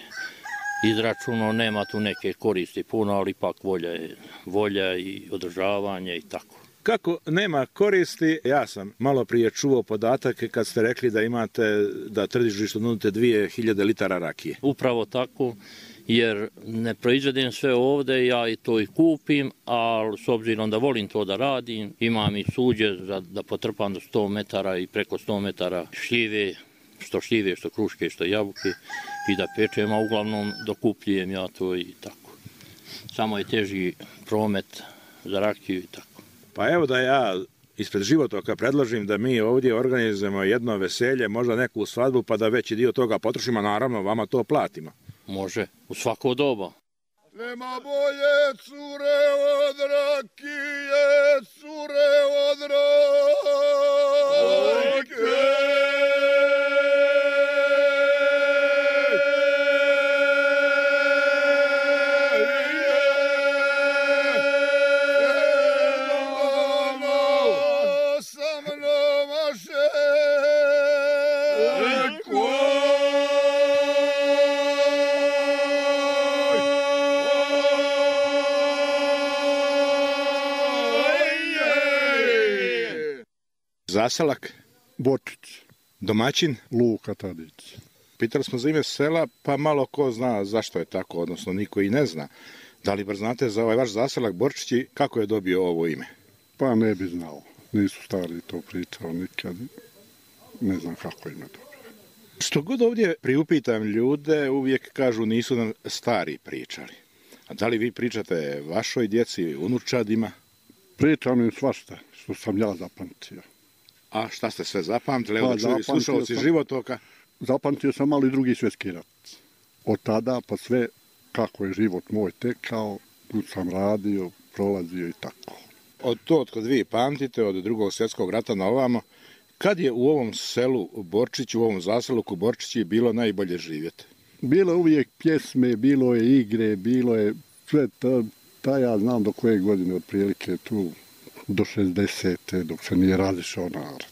S14: izračunao, nema tu neke koristi puno, ali ipak volja je volja i održavanje i tako.
S4: Kako nema koristi, ja sam malo prije čuo podatak kad ste rekli da imate, da tržištu nudite dvije hiljade litara rakije.
S14: Upravo tako, jer ne proizvedem sve ovde, ja i to i kupim, ali s obzirom da volim to da radim, imam i suđe za, da potrpam do sto metara i preko sto metara šljive, što šljive, što kruške, što jabuke, i da pečem, a uglavnom dokupljujem ja to i tako. Samo je teži promet za rakiju i tako.
S4: Pa evo da ja ispred Životoka predložim da mi ovdje organizujemo jedno veselje, možda neku svadbu, pa da veći dio toga potrošimo, naravno vama to platimo.
S14: Može, u svako doba.
S9: Nema bolje cure od rakije, cure od rakije.
S4: Zaselak?
S15: Bočić.
S4: Domaćin?
S15: Luka Tadić.
S4: Pitali smo za ime sela, pa malo ko zna zašto je tako, odnosno niko i ne zna. Da li bar znate za ovaj vaš zaselak Borčići, kako je dobio ovo ime?
S15: Pa ne bi znao. Nisu stari to pričao nikad. Ne znam kako ime dobio.
S4: Što god ovdje priupitam ljude, uvijek kažu nisu nam stari pričali. A da li vi pričate vašoj djeci, unučadima?
S15: Pričam im svašta što sam ja zapamtio.
S4: A šta ste sve zapamtili? Evo da čuju slušalci Životoka.
S15: Zapamtio sam malo i drugi svjetski rat. Od tada pa sve kako je život moj tekao, tu sam radio, prolazio i tako.
S4: Od to od kod vi pamtite, od drugog svjetskog rata na ovamo, kad je u ovom selu Borčiću, u ovom zaseluku Borčići bilo najbolje živjeti?
S15: Bilo je uvijek pjesme, bilo je igre, bilo je sve to, ta ja znam do koje godine otprilike tu, do šezdesete dok se nije razišao narod.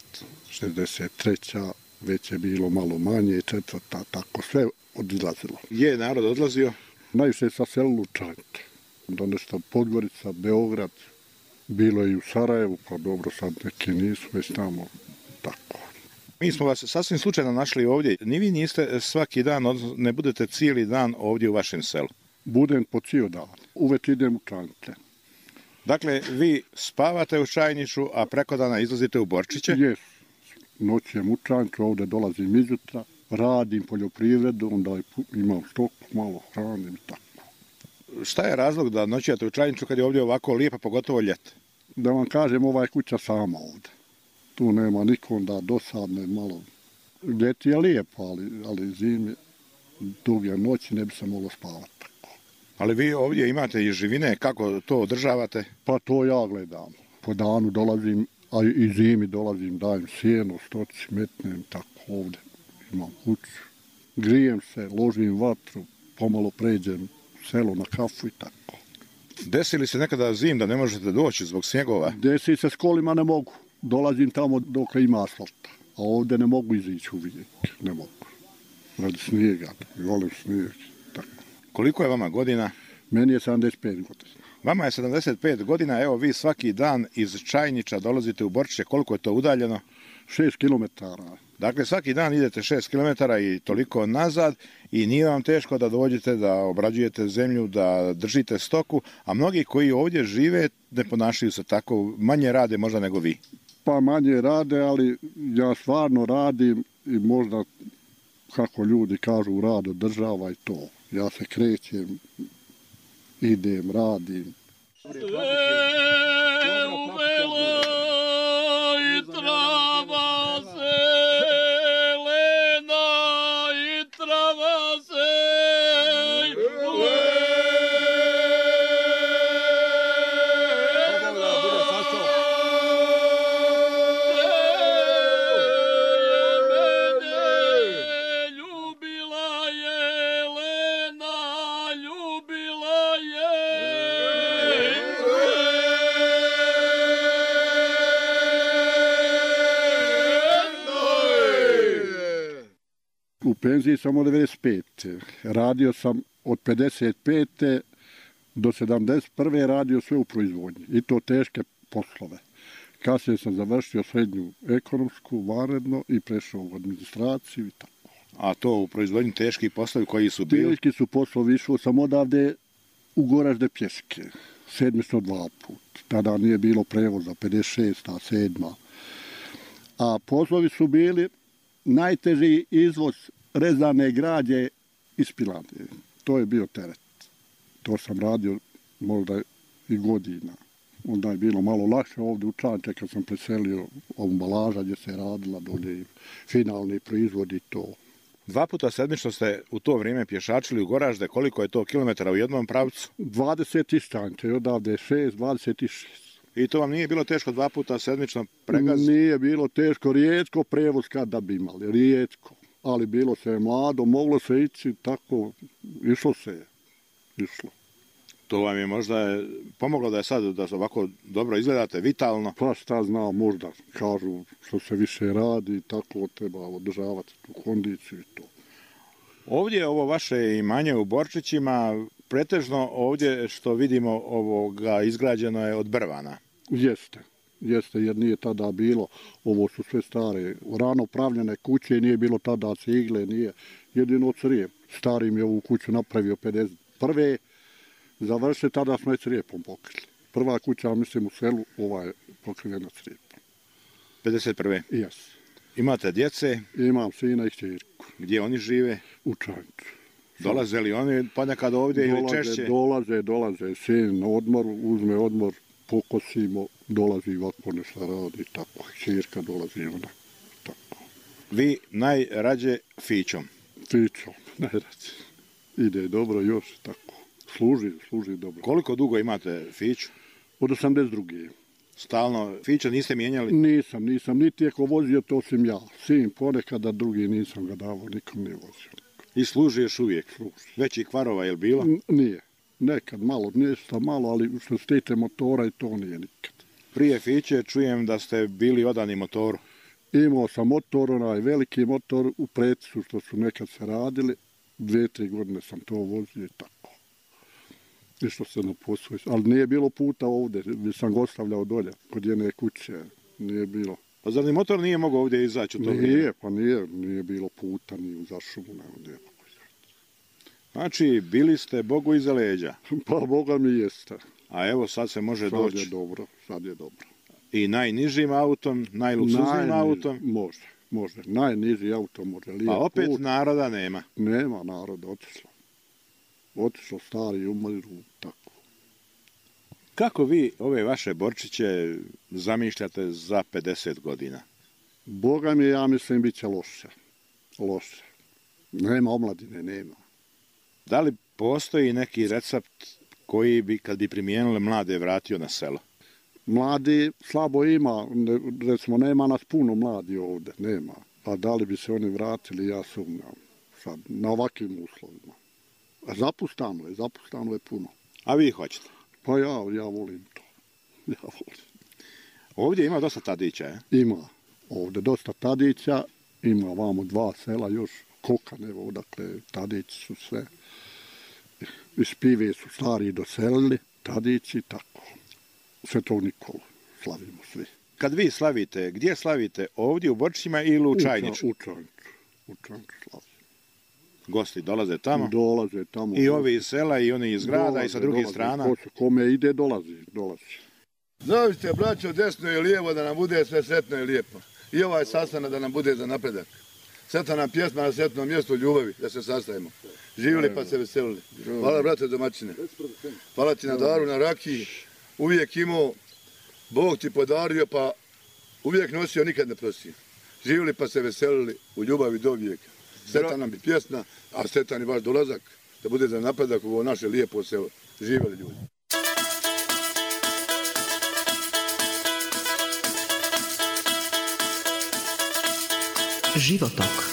S15: šezdeset treća već je bilo malo manje, četvrta, tako sve odlazilo.
S4: Je narod odlazio?
S15: Najviše sa selu Lučanke, onda nešto Podgorica, Beograd, bilo je i u Sarajevu, pa dobro sad neki nisu već tamo, tako.
S4: Mi smo vas sasvim slučajno našli ovdje, ni vi niste svaki dan, ne budete cijeli dan ovdje u vašem selu?
S15: Budem po cijel dan, uvek idem u Čanke.
S4: Dakle, vi spavate u Čajniču, a preko dana izlazite u Borčiće?
S15: Jes, noćem u Čanču, ovdje dolazim izjutra, radim poljoprivredu, onda imam stoku, malo hranim i tako.
S4: Šta je razlog da noćujete u Čajniču kad je ovdje ovako lijepa, pogotovo ljeti?
S15: Da vam kažem, ova je kuća sama ovdje. Tu nema nikom da dosadne malo. Ljeti je lijepo, ali, ali zime, duge noći ne bi se moglo spavati tako.
S4: Ali vi ovdje imate i živine, kako to održavate?
S15: Pa to ja gledam. Po danu dolazim, a i zimi dolazim, dajem sjeno, stoci, metnem, tako ovdje. Imam kuću, grijem se, ložim vatru, pomalo pređem selo na kafu i tako.
S4: Desi li se nekada zim da ne možete doći zbog snjegova?
S15: Desi se s kolima ne mogu. Dolazim tamo dok ima asfalta. A ovdje ne mogu izići uvijek. Ne mogu. Radi snijega. Volim snijeg. Tako.
S4: Koliko je vama godina?
S15: Meni je sedamdeset pet godina.
S4: Vama je sedamdeset pet godina. Evo vi svaki dan iz Čajnića dolazite u Borčiće. Koliko je to udaljeno?
S15: šest kilometara.
S4: Dakle, svaki dan idete šest kilometara i toliko nazad i nije vam teško da dođete, da obrađujete zemlju, da držite stoku, a mnogi koji ovdje žive ne ponašaju se tako, manje rade možda nego vi.
S15: Pa manje rade, ali ja stvarno radim i možda, kako ljudi kažu, rad održava i to. Ja se krećem, idem, radim. U penziji sam od devedeset pete. Radio sam od pedeset pete do sedamdeset prve radio sve u proizvodnji. I to teške poslove. Kasnije sam završio srednju ekonomsku, vanredno i prešao u administraciju i tako.
S4: A to u proizvodnji teški poslovi koji su bili?
S15: Teški su poslovi. Išao sam odavde u Goražde pješke. Sedmično dva put. Tada nije bilo prevoza, pedeset šesta, sedma. A poslovi su bili najteži izvoz rezane građe iz Pilandije. To je bio teret. To sam radio možda i godina. Onda je bilo malo lakše ovdje u Čanče kad sam preselio ambalaža gdje se radila dolje finalni proizvod i to.
S4: Dva puta sedmično ste u to vrijeme pješačili u Goražde. Koliko je to kilometara u jednom pravcu?
S15: dvadeset iz Čanče, odavde šest, dvadeset šest.
S4: I to vam nije bilo teško dva puta sedmično pregaziti?
S15: Nije bilo teško, rijetko prevoz kada bi imali, rijetko. Ali bilo se je mlado, moglo se ići tako, išlo se je, išlo.
S4: To vam je možda pomoglo da je sad, da ovako dobro izgledate, vitalno?
S15: Pa šta znam, možda kažu što se više radi, tako treba održavati tu kondiciju i to.
S4: Ovdje ovo vaše imanje u Borčićima, pretežno ovdje što vidimo ovoga izgrađeno je od brvana.
S15: Jeste, jeste jer nije tada bilo, ovo su sve stare, rano pravljene kuće, nije bilo tada cigle, nije jedino crijev. Stari mi je ovu kuću napravio pedeset prve završili, tada smo je crijepom pokrili. Prva kuća, mislim, u selu, ova je pokrivena crijepom.
S4: pedeset prve
S15: Jes.
S4: Imate djece?
S15: Imam sina i čirku.
S4: Gdje oni žive?
S15: U Čanču.
S4: Dolaze li oni ponekad ovdje
S15: dolaze,
S4: ili češće?
S15: Dolaze, dolaze. Sin na odmor, uzme odmor, pokosimo, dolazi ovako nešto radi, tako. Čirka dolazi ona, tako.
S4: Vi najrađe fićom?
S15: Fićom, najrađe. Ide dobro još, tako. Služi, služi dobro.
S4: Koliko dugo imate fiću?
S15: Od osamdeset druge
S4: Stalno fića niste mijenjali?
S15: Nisam, nisam. Niti je ko vozio, to sam ja. Sin ponekada, drugi nisam ga davao, nikom nije vozio.
S4: I služi još uvijek?
S15: Služi.
S4: Većih kvarova je li bilo?
S15: N nije. Nekad malo, nešto malo, ali što se tiče motora i to nije nikad.
S4: Prije fiće čujem da ste bili odani motoru.
S15: Imao sam motor, onaj veliki motor u Preticu što su nekad se radili. Dve, tri godine sam to vozio i tako. Išlo se na posao, ali nije bilo puta ovdje, gdje sam ga ostavljao dolje, kod jedne kuće, nije bilo.
S4: Pa zar ni motor nije mogao ovdje izaći u to vrijeme?
S15: Nije, pa nije, nije bilo puta, nije u zašumu, ne, nije mogo izaći.
S4: Znači, bili ste Bogu iza leđa?
S15: Pa Boga mi jeste.
S4: A evo sad se može
S15: sad
S4: doći?
S15: Sad je dobro, sad je dobro.
S4: I najnižim autom, najluksuznim autom?
S15: Može, može, najniži auto može.
S4: A opet put. Naroda nema?
S15: Nema naroda, otišlo. Otišlo stari, umiru, tako.
S4: Kako vi ove vaše Borčiće zamišljate za pedeset godina?
S15: Boga mi, ja mislim, bit će loše. Loše. Nema omladine, nema.
S4: Da li postoji neki recept koji bi, kad bi primijenili mlade, vratio na selo?
S15: Mladi slabo ima, recimo, nema nas puno mladi ovdje, nema. A da li bi se oni vratili, ja sumnjam, sad, na ovakvim uslovima. Zapustano je, zapustano je puno.
S4: A vi hoćete?
S15: Pa ja, ja volim to. Ja volim.
S4: Ovdje ima dosta Tadića, je?
S15: Ima. Ovdje dosta Tadića, ima vamo dva sela još, Kokan, evo, dakle, Tadići su sve. Iz Pive su stari doselili, Tadići, tako. Svetog Nikolu slavimo svi.
S4: Kad vi slavite, gdje slavite? Ovdje u Borčićima ili u Čajniču?
S15: U Čajniču. U Čajniču slavimo.
S4: Gosti dolaze tamo?
S15: Dolaze tamo.
S4: I ovi iz sela i oni iz grada dolaze, i sa drugih dolaze, strana?
S15: Ko, kome ide, dolazi, dolazi.
S9: Zavite, braćo, desno i lijevo da nam bude sve sretno i lijepo. I ovaj sastanak da nam bude za napredak. Sretna nam pjesma na sretnom mjestu ljubavi, da se sastavimo. Živjeli pa se veselili. Hvala, brate domaćine. Hvala ti na daru, na rakiji. Uvijek imao, Bog ti podario, pa uvijek nosio, nikad ne prosio. Živjeli pa se veselili u ljubavi do vijeka. Sretan nam bi pjesma, a sretan i vaš dolazak, da bude za napredak u ovo naše lijepo selo. Živjeli ljudi.
S2: Životok.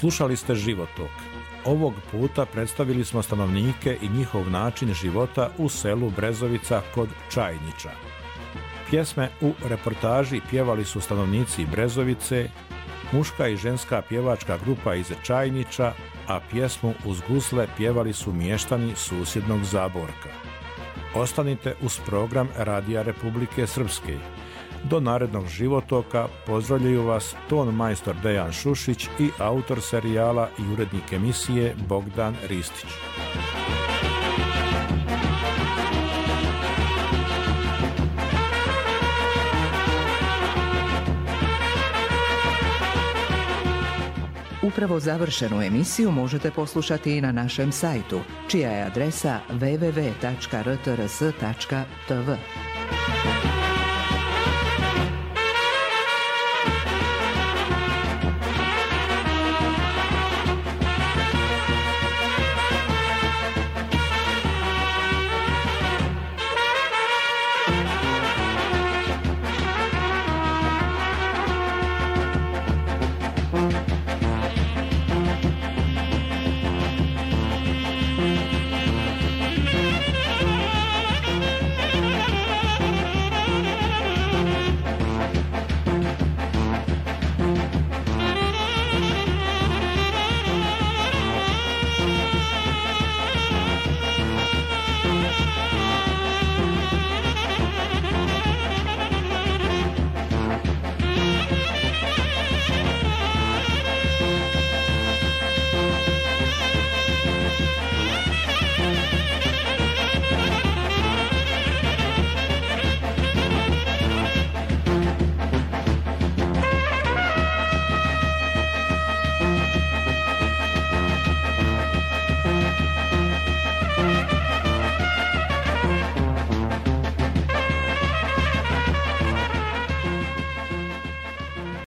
S3: Slušali ste Životok. Ovog puta predstavili smo stanovnike i njihov način života u selu Brezovica kod Čajniča. Pjesme u reportaži pjevali su stanovnici Brezovice, muška i ženska pjevačka grupa iz Čajniča, a pjesmu uz gusle pjevali su mještani susjednog Zaborka. Ostanite uz program Radija Republike Srpske. Do narednog Životoka pozdravljaju vas ton majstor Dejan Šušić i autor serijala i urednik emisije Bogdan Ristić.
S2: Upravo završenu emisiju možete poslušati i na našem sajtu, čija je adresa w w w tačka r t r s tačka t v.